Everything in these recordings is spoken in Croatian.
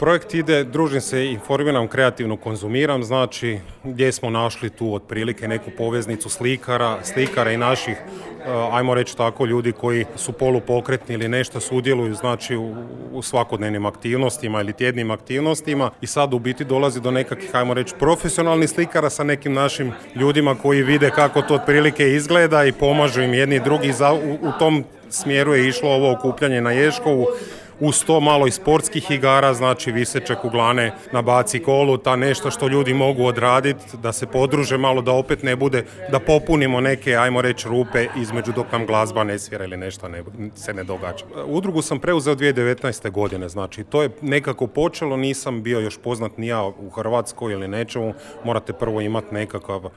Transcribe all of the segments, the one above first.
Projekt ide, družim se, informiram, kreativno konzumiram, znači gdje smo našli tu otprilike neku poveznicu slikara i naših, ajmo reći tako, ljudi koji su polupokretni ili nešto sudjeluju, znači u svakodnevnim aktivnostima ili tjednim aktivnostima, i sad u biti dolazi do nekakvih, ajmo reći, profesionalnih slikara sa nekim našim ljudima koji vide kako to otprilike izgleda i pomažu im jedni i drugi. U tom smjeru je išlo ovo okupljanje na Ježkovu. Uz to malo i sportskih igara, znači viseće kuglane na bacikolu, ta nešto što ljudi mogu odraditi, da se podruže malo, da opet ne bude, da popunimo neke, ajmo reći, rupe između dok nam glazba ne svira ili nešto se ne događa. Udrugu sam preuzeo 2019. godine, znači to je nekako počelo, nisam bio još poznat ni ja u Hrvatskoj ili nečemu, morate prvo imati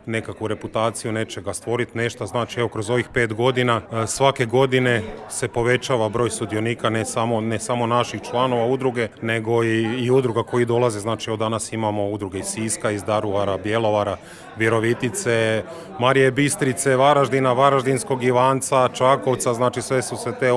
nekakvu reputaciju nečega, stvoriti nešto, znači evo kroz ovih 5 godina svake godine se povećava broj sudionika, ne samo naših članova udruge, nego i udruga koji dolaze, znači od danas imamo udruge iz Siska, iz Daruvara, Bjelovara, Virovitice, Marije Bistrice, Varaždina, Varaždinskog Ivanca, Čakovca, znači sve su se te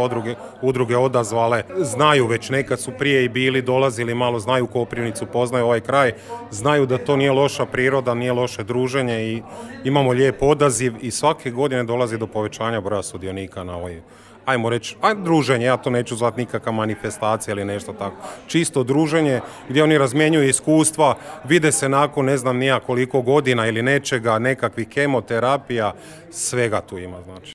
udruge odazvale, znaju već, nekad su prije i bili, dolazili, malo znaju Koprivnicu, poznaju ovaj kraj, znaju da to nije loša priroda, nije loše druženje i imamo lijep odaziv i svake godine dolazi do povećanja broja sudionika na ovoj, ajmo reći, druženje, ja to neću zvati nikakva manifestacija ili nešto tako. Čisto druženje gdje oni razmjenjuju iskustva, vide se nakon ne znam nija koliko godina ili nečega, nekakvih kemoterapija, svega tu ima, znači.